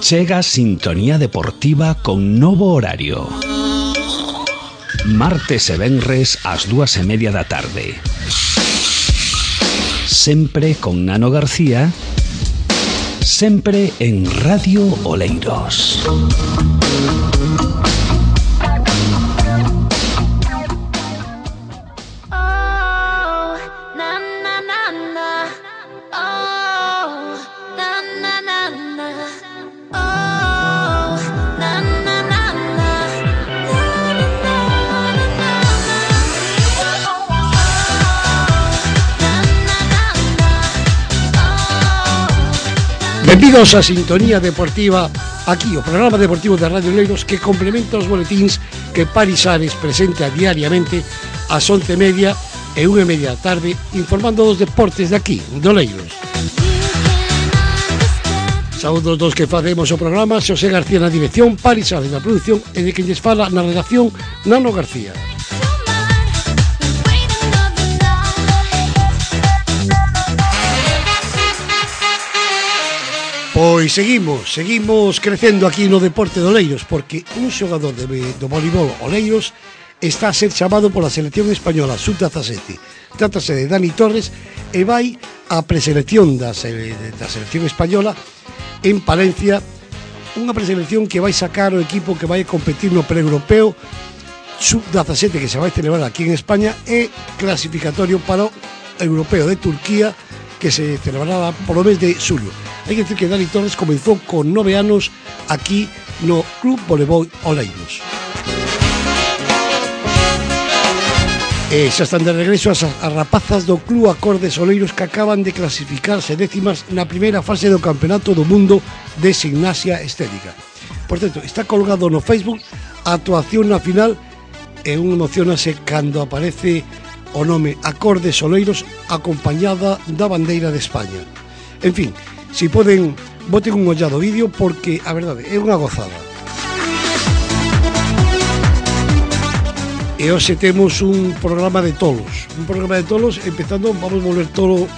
Chega Sintonía Deportiva con novo horario. Martes e venres ás 2:30 da tarde. Sempre con Nano García, sempre en Radio Oleiros. Benvidos a Sintonía Deportiva, aquí o programa deportivo de Radio Oleiros que complementa os boletíns que Paris Ares presenta diariamente ás 11:30 e 1:30 da tarde, informando dos deportes de aquí, de Oleiros. Saúdos dos que facemos o programa, Xosé García na dirección, Paris Ares na produción e de quen lles fala na redacción, Nano García. Pois seguimos crecendo aquí no deporte de Oleiros, porque un xogador do voleibol Oleiros está a ser chamado pola selección española sub-17. Trátase de Dani Torres e vai á preselección da selección española en Palencia, unha preselección que vai sacar o equipo que vai competir no pre-europeo sub-17 que se vai celebrar aquí en España e clasificatorio para o europeo de Turquía que se celebrará polo mes de xulio. Hai que decir que Dani Torres comenzou con 9 anos aquí no Club Voleibol Oleiros. E xa están de regreso as rapazas do Club Acordes Oleiros que acaban de clasificarse décimas na primeira fase do Campeonato do Mundo de Gimnasia Estética. Por certo, está colgado no Facebook a actuación na final e un emocionase cando aparece o nome Acordes Oleiros acompañada da bandeira de España. En fin, si poden, boten un ollado vídeo porque a verdade é unha gozada. E hoxe temos un programa de tolos. Empezando, vamos volver todo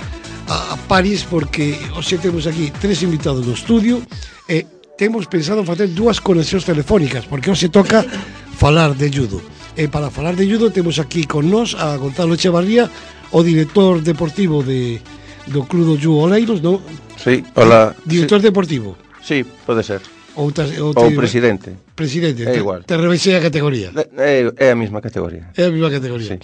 a París porque hoxe temos aquí 3 invitados no estudio e temos pensado facer 2 conexións telefónicas porque hoxe toca falar de judo. E para falar de judo temos aquí con nós a Gonzalo Echevarría, o director deportivo do Club do Judo Oleiros, non? Sí, hola. Director deportivo. Sí, pode ser. Ou presidente. Presidente, é igual. Te rebaixei a categoría. É a mesma categoría. É a mesma categoría. Sí.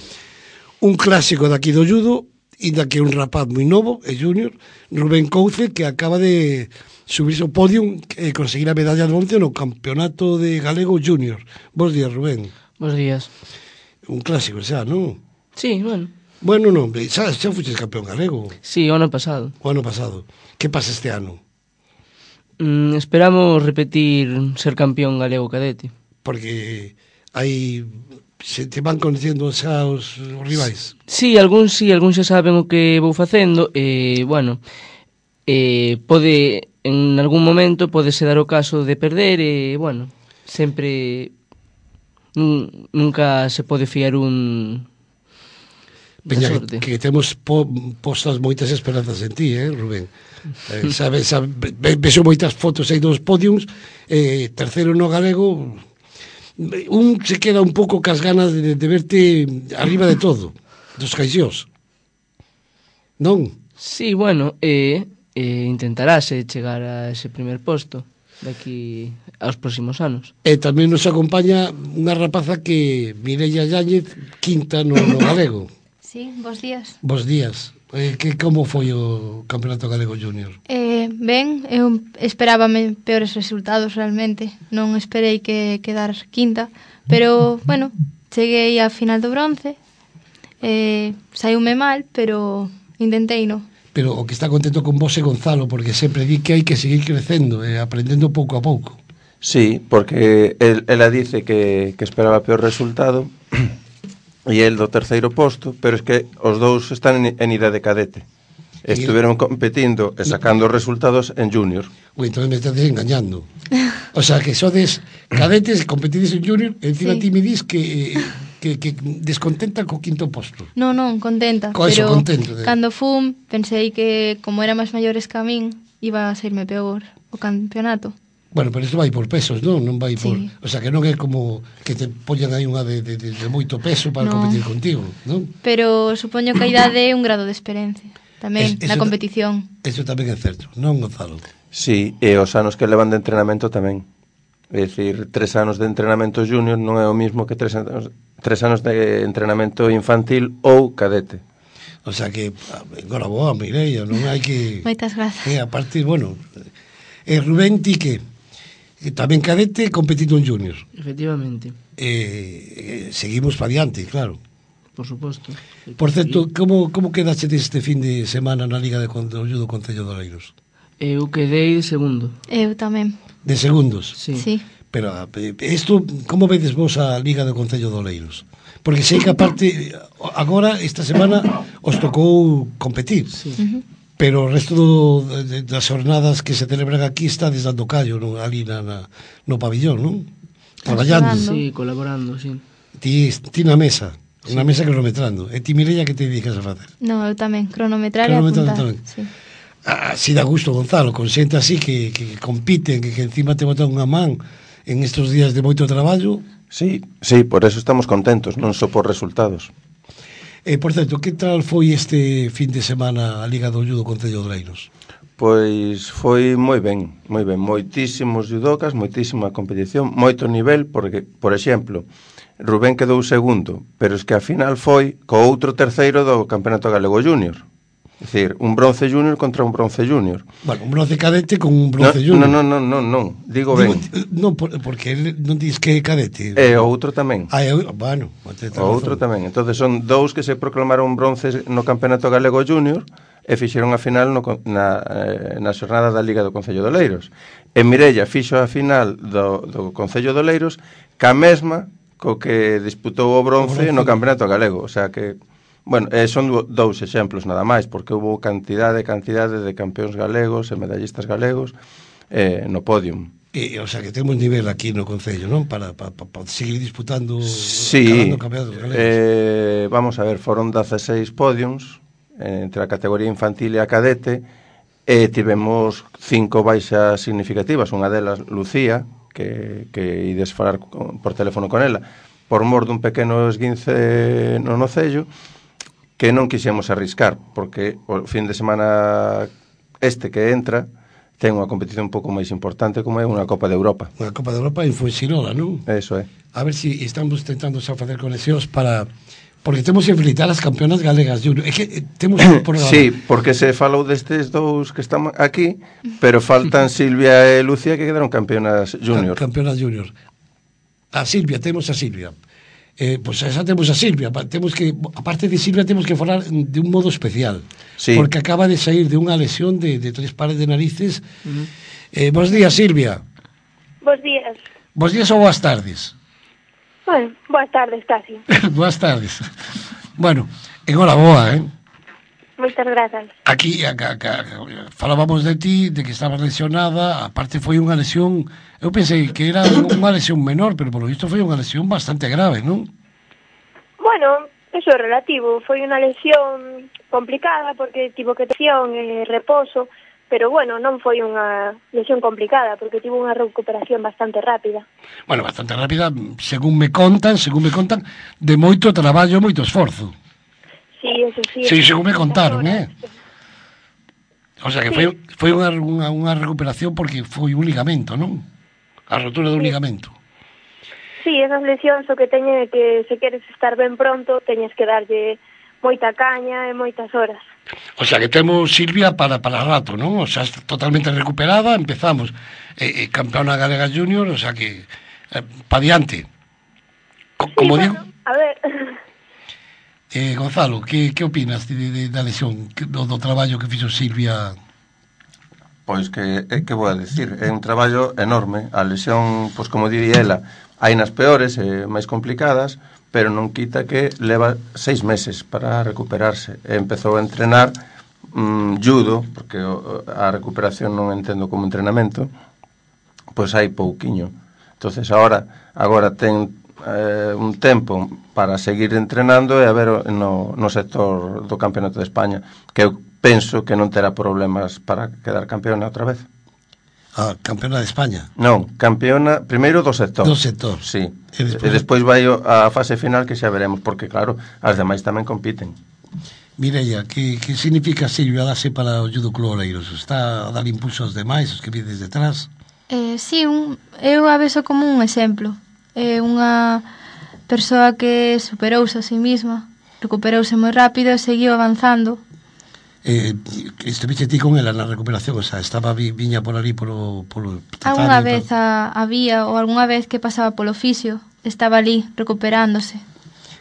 Un clásico daqui do judo, inda que un rapaz moi novo, é junior, Rubén Couce, que acaba de subirse ao podium e conseguir a medalla de bronce no Campeonato de Galego Junior. Bos días, Rubén. Bos días. Un clásico xa, non? Sí, bueno. Bueno, non, xa fuches campeón galego. Sí, o ano pasado. O ano pasado. Que pasa este ano? Esperamos repetir ser campeón galego cadete. Porque se te van conhecendo xa os rivais. Sí, algúns xa saben o que vou facendo e, bueno, pode, en algún momento, podese dar o caso de perder e, bueno, sempre nunca se pode fiar un Peña, que temos postas moitas esperanzas en ti, Rubén. Vexo moitas fotos aí dos podiums, terceiro no galego, un se queda un pouco cas ganas de verte arriba de todo, dos caixós. Non? Sí, bueno, intentarase chegar a ese primer posto daqui aos próximos anos. E tamén nos acompaña unha rapaza que Mireia Yáñez, quinta no galego. Sí, bos días. Bos días. Como foi o Campeonato Galego Junior? Ben, eu esperábame peores resultados realmente. Non esperei que quedar quinta, pero, bueno, cheguei á final do bronce. Saiume mal, pero intentei, non? Pero o que está contento con vos é Gonzalo, porque sempre di que hai que seguir crecendo e aprendendo pouco a pouco. Sí, porque ela dice que esperaba peor resultado e el do terceiro posto, pero es que os dous están en idade cadete. Estuveron competindo e sacando resultados en junior. Ui, entón me estás engañando. O sea, que sodes cadetes e competides en junior e encima ti me dis que descontenta co quinto posto. Non, contenta. Pero cando fun, pensei que como era máis maiores que a min, iba a serme peor o campeonato. Bueno, pero isto vai por pesos, non? Non vai por... Sí. O sea, que non é como que te poñan aí unha de moito peso para No. competir contigo, non? Pero supoño que a idade é un grado de experiencia tamén na competición. Eso tamén é certo, non, Gonzalo? Sí, e os anos que levan de entrenamento tamén. É dicir, 3 anos de entrenamento junior non é o mismo que 3 anos de entrenamento infantil ou cadete. O sea que, agora boa, Mireia, non hai que... Moitas grazas. A partir, bueno... Rubén, ti que... Tamén cadete competindo en junior. Efectivamente, Seguimos para diante, claro. por suposto. Por certo, como quedaste este fin de semana na Liga de Concello do Concello de Oleiros? Eu quedei de segundo. Eu tamén. De segundos? Sí. Sí. Pero isto, como vedes vos a Liga do Concello de Oleiros? Porque sei que aparte, agora, esta semana, os tocou competir. Sí. Pero o resto das jornadas que se celebran aquí está dando callo, non? Ali no pabillón, non? Traballando. Sí, colaborando, sí. Ti na mesa, na mesa cronometrando. E ti, Mireia, que te dedicas a facer? No, eu tamén, cronometrar e Cronometrando apuntar. tamén. Sí. Si dá gusto, Gonzalo, con xente así que compiten, que encima te botan unha man en estes días de moito traballo. Sí, por eso estamos contentos, non só por resultados. Por certo, que tal foi este fin de semana a Liga do Judo Concello de Oleiros? Pois foi moi ben, moitísimos judocas, moitísima competición, moito nivel, porque, por exemplo, Rubén quedou segundo, pero es que a final foi co outro terceiro do Campeonato Galego Júnior. É dicir, un bronce júnior contra un bronce júnior. Bueno, un bronce cadete con un bronce júnior. Non, digo ben. Non, porque non dis que é cadete. E o outro tamén. Bueno, O outro tamén. Entonces son dous que se proclamaron bronces no Campeonato Galego Júnior e fixeron a final na xornada da Liga do Concello de Oleiros. E Mireia fixo a final do Concello de Oleiros ca mesma co que disputou o bronce no Campeonato Galego. O sea que, bueno, son dous exemplos nada máis, porque houve cantidade de campeóns galegos e medallistas galegos no podium. O sea que temos nivel aquí no Concello, non? Para seguir disputando campeonatos galegos. Vamos a ver, foron 16 podiums entre a categoría infantil e a cadete, e tivemos 5 baixas significativas, unha delas Lucía, que ides falar por teléfono con ela, por mor dun pequeno esguince no nocello, que non quixemos arriscar, porque o fin de semana que entra ten unha competición un pouco máis importante, como é unha Copa de Europa. Unha Copa de Europa en Fuengirola, non? Eso é. A ver se estamos tentando xa facer conexións para... Porque temos que felicitar as campeonas galegas junior. É que temos un programa. Sí, porque se falou destes dous que están aquí, pero faltan Silvia e Lucía, que quedaron campeonas junior. Campeonas junior. A Silvia, temos a Silvia. Pois xa temos a Silvia. Temos que, aparte de Silvia, temos que falar de un modo especial. Sí. Porque acaba de sair de unha lesión de 3 pares de narices. Bos días, Silvia. Bos días. Bos días ou boas tardes? Bueno, boas tardes, casi. Boas tardes. Bueno, enhoraboa, Moitas grazas. Aquí falábamos de ti, de que estabas lesionada. Aparte foi unha lesión, eu pensei que era unha lesión menor, pero polo visto foi unha lesión bastante grave, non? Bueno, eso é relativo. Foi unha lesión complicada porque tivo que lesión e reposo, pero bueno, non foi unha lesión complicada porque tivo unha recuperación bastante rápida. Bueno, bastante rápida, según me contan, de moito traballo, moito esforzo. Sí, eso sí. Sí, según me contaron, O sea que Sí. foi unha recuperación porque foi un ligamento, non? A rotura dun ligamento. Sí, esas lesións o que teñen é que se queres estar ben pronto, teñes que darlle moita caña e moitas horas. O sea que temos Silvia para rato, non? O sea, totalmente recuperada, empezamos campeona galega junior, o sea que pa diante. Como digo, A ver, Gonzalo, que opinas da lesión, do traballo que fixo Silvia? Pois que vou a decir, é un traballo enorme. A lesión, pois como diría ela, hai nas peores e máis complicadas, pero non quita que leva 6 meses para recuperarse. E empezou a entrenar judo, porque a recuperación non entendo como entrenamento, pois hai pouquiño. Entonces agora ten un tempo para seguir entrenando e a ver no sector do Campeonato de España, que eu penso que non terá problemas para quedar campeona outra vez. A campeona de España. Non, campeona primeiro do sector. Do sector. Sí. E despois vai a fase final que xa veremos, porque claro, as demais tamén compiten. Mireia, que significa Silvia darse para o Judo Club Oleiros? Está a dar impulso aos demais, os que vides detrás? Sí, eu a veso como un exemplo. É unha persoa que superouse a sí mesma, recuperouse moi rápido e seguiu avanzando. Estuviste ti con ela na recuperación, o sea, estaba viña por ali polo algunha vez había, ou algunha vez que pasaba polo fisio, estaba ali recuperándose.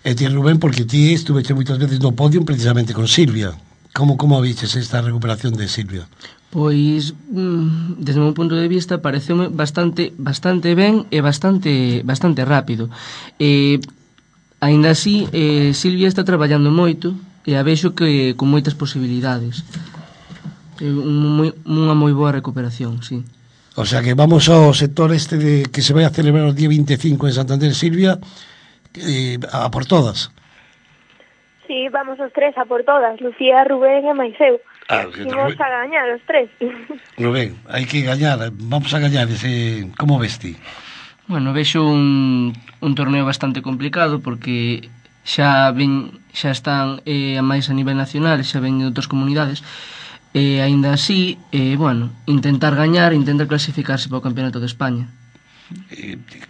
E ti, Rubén, porque ti estuveche moitas veces no podio precisamente con Silvia. Como viches esta recuperación de Silvia? Pois, desde o meu punto de vista, pareceume bastante ben e bastante rápido. Aínda así, Silvia está traballando moito, e a vexo que con moitas posibilidades. Unha moi boa recuperación, sí. O sea que vamos ao sector este que se vai a celebrar o día 25 en Santander, Silvia, a por todas. Sí, vamos os tres a por todas, Lucía, Rubén e máis eu. Imos a gañar os tres. Rubén, hai que gañar, vamos a gañar como ves ti? Bueno, vexo un torneo bastante complicado porque xa están máis a nivel nacional, xa ven de outras comunidades, e aínda así, intentar gañar, intentar clasificarse para o Campeonato de España.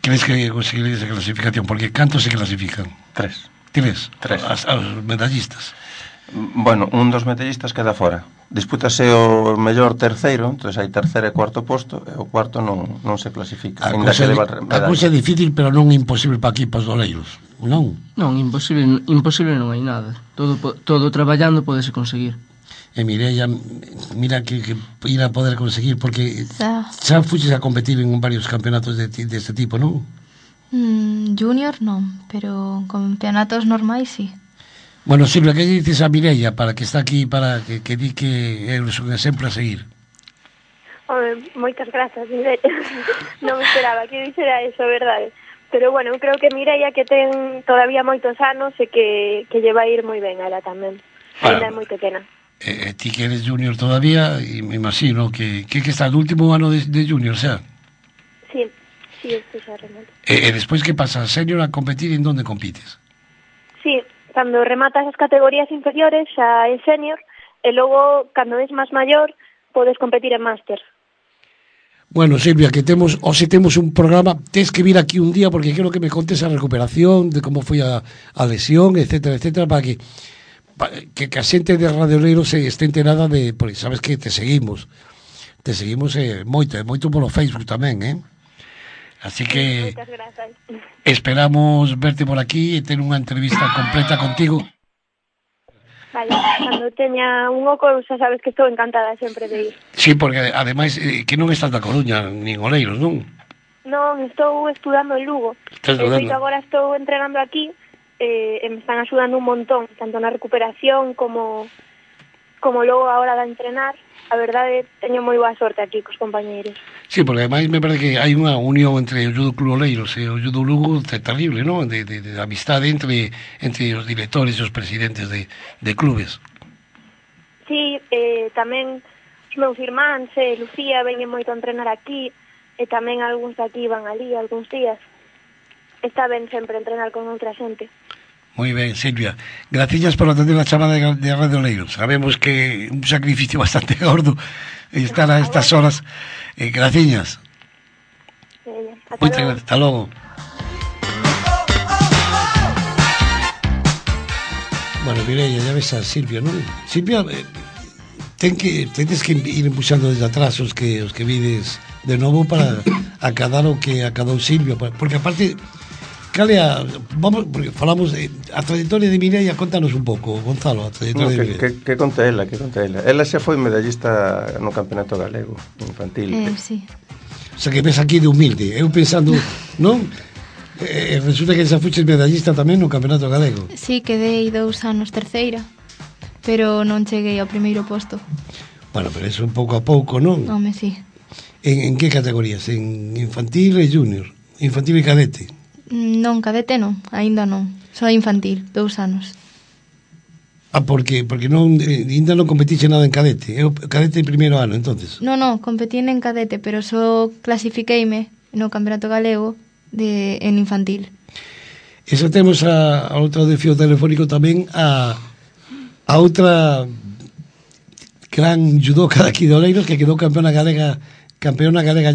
Crees que conseguiréis esa clasificación? Porque cantos se clasifican? 3. Tires? 3. Aos medallistas. Bueno, un dos medallistas queda fora. Dispútase o mellor terceiro, entón hai terceiro e cuarto posto, e o cuarto non se clasifica. A cousa é difícil, pero non imposible para equipos doleiros, non? Non, imposible non hai nada. Todo traballando podese conseguir. E Mireia, mira que ir a poder conseguir, porque xa fuches a competir en varios campeonatos deste tipo, non? Junior non, pero campeonatos normais sí. Bueno, Silvia, que dices a Mireia para que está aquí, para que di que é un exemplo a seguir? Moitas grazas, Mireia. Non me esperaba que dixera eso, verdade. Pero bueno, eu creo que Mireia que ten todavía moitos anos e que lle vai ir moi ben a ela tamén. Ainda é moi pequena. Ti que eres junior todavía, e me imagino que está no último ano de junior, xa? Sí, isto xa remate. E despois que pasas senior a competir, en donde compites? Sí, cando rematas as categorías inferiores xa é senior, e logo, cando és máis maior, podes competir en máster. Bueno, Silvia, que hoxe temos un programa, tens que vir aquí un día porque quero que me contes a recuperación, de como foi a lesión, etcétera, para que a xente de Radio Oleiros se este enterada de, porque sabes que te seguimos moito polo Facebook tamén, así que esperamos verte por aquí e ter unha entrevista completa contigo. Vale, cando teña un oco, xa sabes que estou encantada sempre de ir. Sí, porque ademais que non estás da Coruña, nin Oleiros, non? Non, estou estudando en Lugo. Agora estou entrenando aquí e me están axudando un montón, tanto na recuperación como logo a hora de entrenar. A verdade, teño moi boa sorte aquí cos compañeiros. Sí, porque ademais me parece que hai unha unión entre o Judo Club Oleiros e o Judo Lugo terrible, non? De amistade entre os directores e os presidentes de clubes. Sí, tamén os meus irmáns e Lucía veñen moito a entrenar aquí, e tamén algúns daqui van ali algúns días. Está ben sempre entrenar con outra xente. Moi ben, Silvia. Graciñas por atender a chamada de Radio Oleiros. Sabemos que un sacrificio bastante gordo estar a estas horas. Graciñas. Moitas gracias. Hasta logo. Bueno, Mireia, ya ves a Silvia, non? Silvia, tenes que ir empuxando desde atrás os que vides de novo para acadar o que acadou Silvia, porque aparte porque falamos a trayectoria de Mireia, contanos un pouco, Gonzalo, a trayectoria de Mireia. Que conta ela. Ela xa foi medallista no Campeonato Galego infantil. Sí. O sea, que ves aquí de humilde. Eu pensando, non? Resulta que xa fuches medallista tamén no Campeonato Galego. Sí, quedei 2 anos terceira, pero non cheguei ao primeiro posto. Bueno, pero eso un pouco a pouco, non? Home, sí. En que categorías? En infantil e junior? Infantil e cadete? Non, cadete non, aínda non. Só infantil, 2 anos. Porque ainda non competiche nada en cadete. É o cadete de primeiro ano, entonces. Non, competín en cadete, pero só clasifiqueime no Campeonato Galego en infantil. E xa temos a outra de fío telefónico tamén a outra gran judoka daqui de Oleiros que quedou campeona galega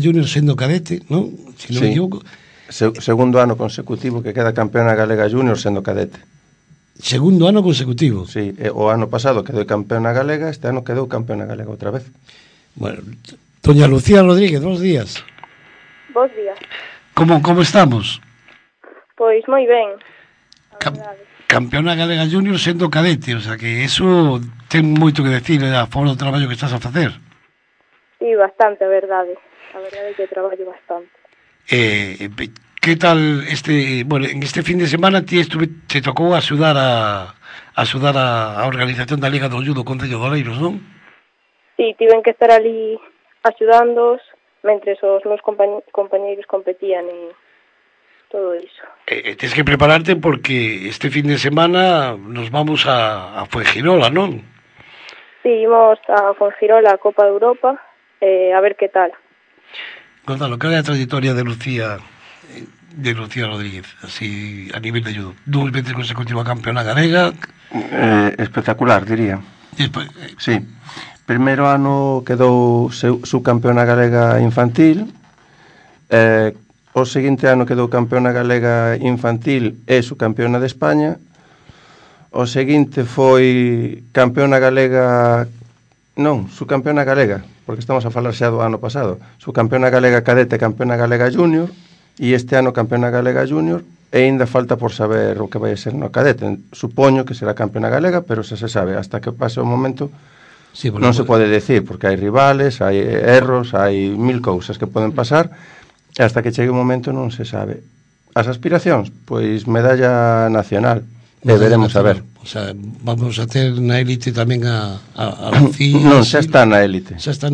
junior sendo cadete, non? Si non me equivoco. Segundo ano consecutivo que queda campeona galega junior sendo cadete. Segundo ano consecutivo. Sí, o ano pasado quedou campeona galega, este ano quedou campeona galega outra vez. Bueno, doña Lucía Rodríguez, bons días. Bos días. Como estamos? Pois moi ben. Campeona galega junior sendo cadete, o sea que eso ten moito que decir a favor do traballo que estás a facer. Sí, bastante, a verdade. A verdade é que traballo bastante. Que tal en este fin de semana te tocou axudar a organización da Liga do Judo Concello de Oleiros, non? Sí, tiven que estar ali axudándoos mentres os meus compañeiros competían e todo iso. Tens que prepararte porque este fin de semana nos vamos a Fuengirola, non? Sí, imos a Fuengirola, a Copa de Europa, a ver que tal. Gonzalo, cal é a trayectoria de Lucía Rodríguez, así a nivel de judo? 2 veces consecutiva campeona galega. Espectacular, diría. Sí. Primeiro ano quedou subcampeona galega infantil, o seguinte ano quedou campeona galega infantil e subcampeona de España, o seguinte foi campeona galega, subcampeona galega, porque estamos a falar xa do ano pasado, subcampeona galega cadete, campeona galega junior, e este ano campeona galega junior, e ainda falta por saber o que vai ser no cadete. Supoño que será campeona galega, pero xa se sabe, hasta que pase o momento sí, non se pode decir, porque hai rivales, hai erros, hai 1000 cousas que poden pasar, e hasta que chegue o momento non se sabe. As aspiracións, pois medalla nacional, e veremos a ver. O sea, vamos a ter na élite tamén a Lucía. Non, xa está na élite. Xa está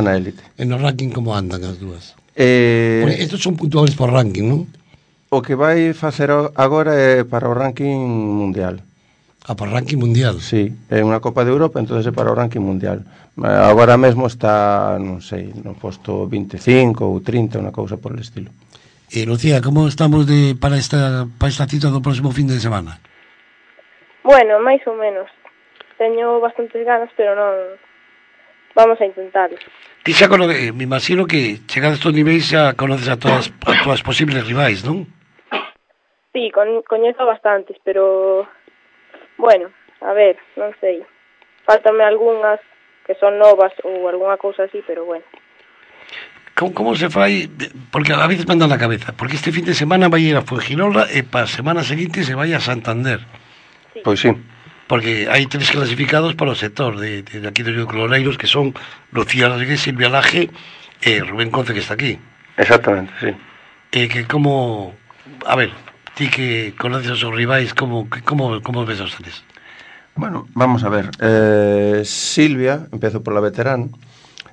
na élite. E no ranking como andan as dúas? Estos son puntuables por ranking, non? O que vai facer agora é para o ranking mundial. Para o ranking mundial? Sí, é unha Copa de Europa, entonces é para o ranking mundial. Agora mesmo está, non sei, no posto 25 ou 30, unha cousa por el estilo. Lucía, como estamos para esta cita do próximo fin de semana? Bueno, máis ou menos. Teño bastantes ganas, pero non... Vamos a intentarlo. Ti xa me imagino que chegado a estos niveis xa conoces a todas posibles rivais, non? Sí, coñezo bastantes, pero... Bueno, a ver, non sei. Fáltame algunhas que son novas ou algunha cousa así, pero bueno. Como se fai? Porque a veces manda na cabeza. Porque este fin de semana vai ir a Fuengirola e para a semana seguinte se vai a Santander. Sí. Pois sí. Porque hai 3 clasificados para o sector de aquí dos Oleiros, que son Lucía Rodríguez, Silvia Laje e Rubén Conce, que está aquí. Exactamente, sí. Que como... A ver, ti que conoces os rivais, como ves os tres? Bueno, vamos a ver. Silvia, empezo por la veterana.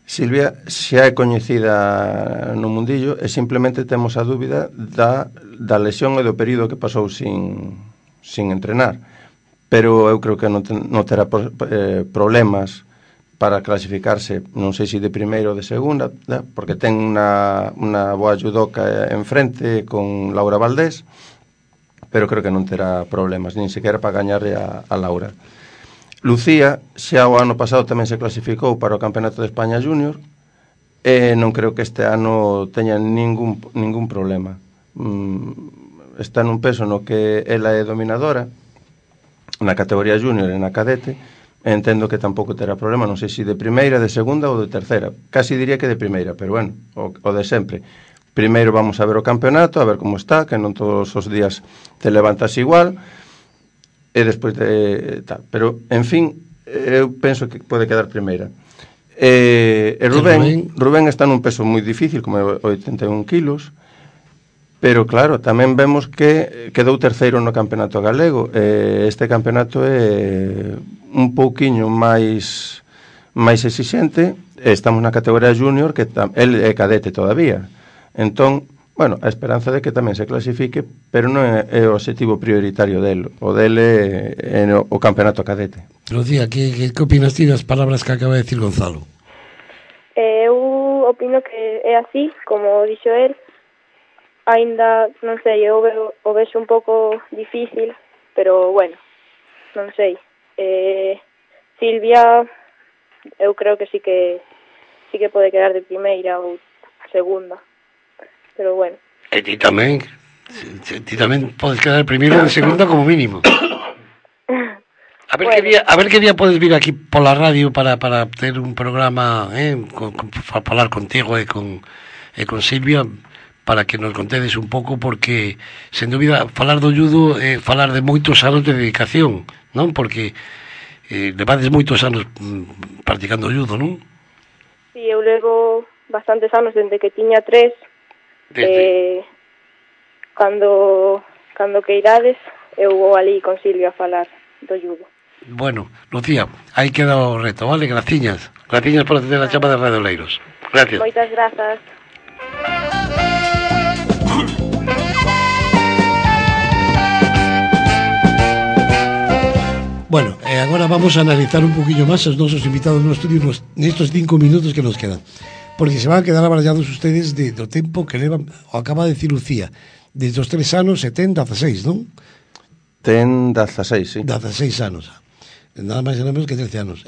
Silvia xa é coñecida no mundillo e simplemente temos a dúbida da lesión e do período que pasou sin entrenar. Pero eu creo que non terá problemas para clasificarse, non sei se de primeira ou de segunda, porque ten unha boa judoka enfrente con Laura Valdés, pero creo que non terá problemas, nin sequera para gañarle a Laura. Lucía, xa o ano pasado tamén se clasificou para o Campeonato de España Junior, e non creo que este ano teña ningún problema. Está nun peso no que ela é dominadora, na categoría junior e na cadete, entendo que tampouco terá problema, non sei se de primeira, de segunda ou de terceira, casi diría que de primeira, pero bueno, o de sempre. Primeiro vamos a ver o campeonato, a ver como está, que non todos os días te levantas igual, e despois de tal, pero en fin, eu penso que pode quedar primeira. E Rubén está nun peso moi difícil, como 81 kilos, pero claro, tamén vemos que quedou terceiro no campeonato galego. Este campeonato é un pouquiño máis exixente. Estamos na categoría junior, que el é cadete todavía. Entón, Bueno, a esperanza de que tamén se clasifique, pero non é o objetivo prioritario del. O del é o campeonato cadete. Lucía, que opinas ti das palabras que acaba de decir Gonzalo? Eu opino que é así, como dixo el. Ainda, non sei, eu o vexo un pouco difícil, pero, bueno, non sei. Silvia, eu creo que sí que pode quedar de primeira ou segunda. Pero, bueno. E ti tamén podes quedar primeiro ou de segunda como mínimo. A ver, bueno. A ver que día podes vir aquí pola radio para ter un programa, para falar contigo e con Silvia, para que nos contedes un pouco, porque, sen dúbida, falar do judo é falar de moitos anos de dedicación, non? Porque levades moitos anos practicando judo, non? Sí, eu levo bastantes anos, desde que tiña 3. Cando queirades, eu vou ali con Silvia a falar do judo. Bueno, Lucía, aí queda o reto, vale? Graciñas por atender a chama de Radio Oleiros. Gracias. Moitas grazas. Bueno, agora vamos a analizar un poquillo máis os nosos invitados no estudio nestos 5 minutos que nos quedan, porque se van a quedar abarallados ustedes do tempo que levan, o acaba de decir Lucía, desde os 3 anos e ten 16, non? Ten 16, sí. 16 anos. Nada máis e nada menos que 13 anos.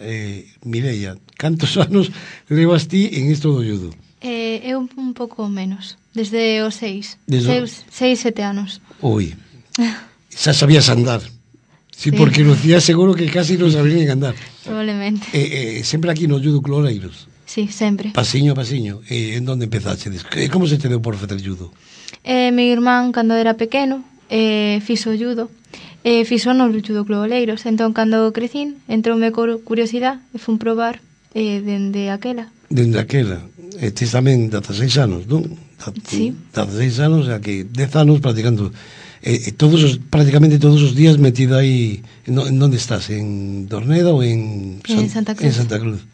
Mireia, cantos anos levas ti en isto do judo? Eu un pouco menos, desde os 6, 7 anos. Ui, xa sabías andar. Sí, porque Lucía seguro que casi non sabía nin andar. Probablemente. Sempre aquí no Judo Club Oleiros. Sí, sempre. Pasiño a pasiño. En donde empezaxedes? Como se te deu por facer judo? Mi irmán, cando era pequeno, fixo judo. Fixo no Judo Club Oleiros. Entón, cando crecín, entroume curiosidade e fun probar dende aquela. Dende aquela. Tes tamén 16 anos, non? Sí. 16 anos, a que 10 anos practicando. Prácticamente todos os días metido aí. En onde estás? En Dorneda ou en Santa Cruz? En Santa Cruz.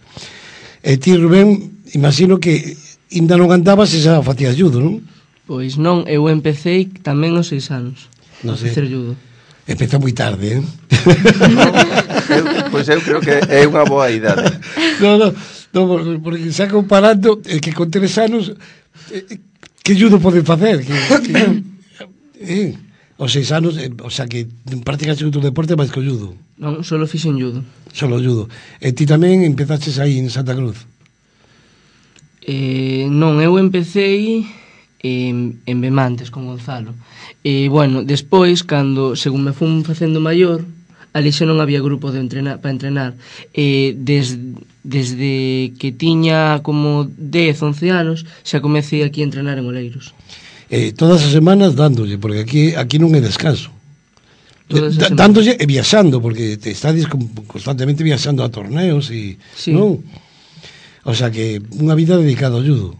E ti, Rubén, imagino que ainda non andabas e xa facías judo, non? Pois non, eu empecé tamén aos 6 anos a facer judo. Empezou moi tarde, Pois eu creo que é unha boa idade. Non, porque xa comparando que con 3 anos que judo poden facer? Os 6 anos, o sea que practicas outro deporte máis que o judo. Non, solo fixen judo. Solo judo. E ti tamén empezaches aí en Santa Cruz? Non, eu empecé en Bemantes con Gonzalo. Bueno, despois, según me fun facendo maior, ali xa non había grupo para entrenar. Desde que tiña como 10, 11 anos, xa comecei aquí a entrenar en Oleiros. Todas as semanas dándolle, porque aquí non é descanso. Dándolle e viaxando, porque te estades constantemente viaxando a torneos e sí. Non? O sea que unha vida dedicada ao judo.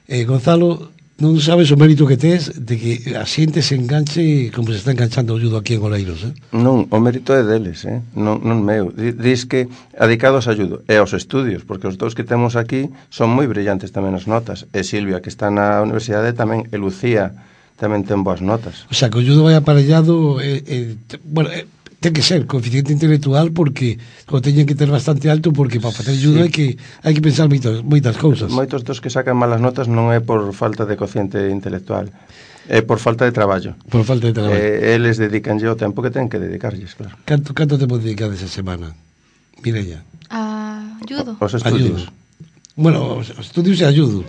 Gonzalo, non sabes o mérito que tes de que a xente se enganche como se está enganchando o judo aquí en Oleiros, Non, o mérito é deles, non meu. Dis que adicados a judo e aos estudios, porque os dous que temos aquí son moi brillantes tamén as notas. E Silvia, que está na universidade tamén, e Lucía tamén ten boas notas. O sea, que o judo vai aparellado, bueno, ten que ser coeficiente intelectual, porque o teñen que ter bastante alto, porque para facer judo sí. hai que pensar moitas cousas. Moitos dos que sacan malas notas non é por falta de cociente intelectual, é por falta de traballo. Por falta de traballo. Eles dedicanlle o tempo que ten que dedicarlles, claro. Canto tempo dedicades a semana, Mireia? A judo. Os estudios. Bueno, os estudios e a judo.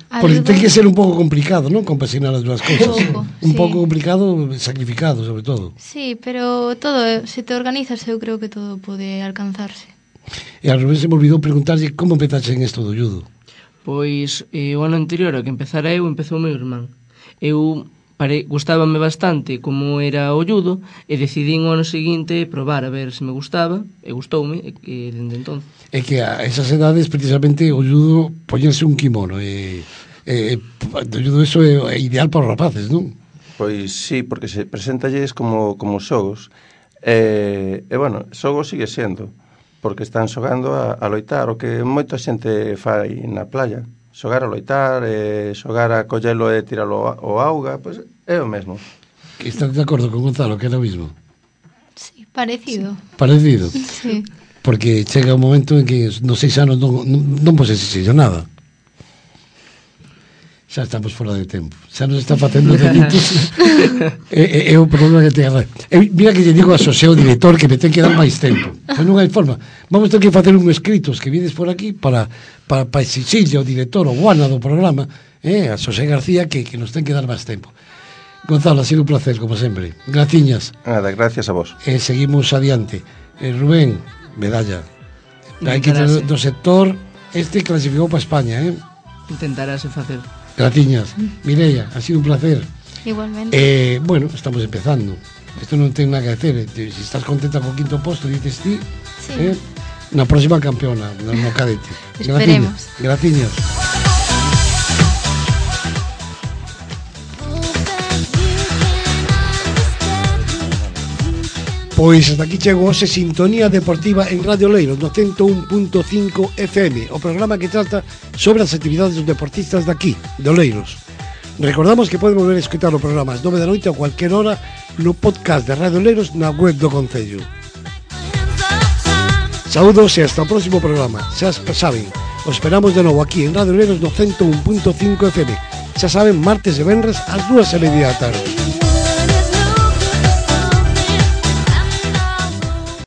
Porque ten que ser un pouco complicado, non? Compaxinar as dúas cousas. Un pouco complicado, sacrificado, sobre todo. Sí, pero todo, se te organizas, eu creo que todo pode alcanzarse. E al revés se me olvidou preguntarlle como empezaste en isto do judo. Pois o ano anterior a que empezara empezou o meu irmán. Gustábame bastante como era o judo e decidín o ano seguinte probar a ver se me gustaba e gustoume e dende entón. É que a esas edades precisamente o judo poñerse un kimono o judo eso é ideal para os rapaces, non? Pois sí, porque se presentalles como xogos e bueno, xogo sigue sendo porque están xogando a loitar o que moita xente fai na playa, xogar a loitar, xogar a collelo e tiralo ao auga, pois é o mesmo. Que estás de acordo con Gonzalo, que era o mismo? Sí, parecido. Parecido. Sí. Porque chega un momento en que nos 6 anos non vos exixir nada. Xa estamos fora de tempo. Xa nos está facendo delitos. É o problema que ten. Mira que lle digo a Xosé, o director, que me ten que dar máis tempo. Pois non hai forma. Vamos ter que facer un escritos que vides por aquí para exixirle ao director, o guana do programa, a Xosé García, que nos ten que dar máis tempo. Gonzalo, ha sido un placer, como sempre. Graciñas. Nada, gracias a vos. Seguimos adiante. Rubén, medalla. Hai que do sector clasificou para España, Intentarase facer. Gratiñas. Mireia, ha sido un placer. Igualmente. Bueno, estamos empezando. Isto non ten nada que hacer. Si estás contenta co quinto posto, dices ti, Sí. Na próxima campeona, no cadete. Esperemos. Gratiñas. Pois hasta aquí chegou hoxe Sintonía Deportiva en Radio Oleiros no 101.5 FM, o programa que trata sobre as actividades dos deportistas daqui, de Oleiros. Recordamos que poden volver a escutar o programa ás 9 da noite a cualquier hora no podcast de Radio Oleiros na web do Concello. Saúdos e hasta o próximo programa. Xa saben, os esperamos de novo aquí en Radio Oleiros no 101.5 FM. Xa saben, martes e venres ás 2:30 da tarde.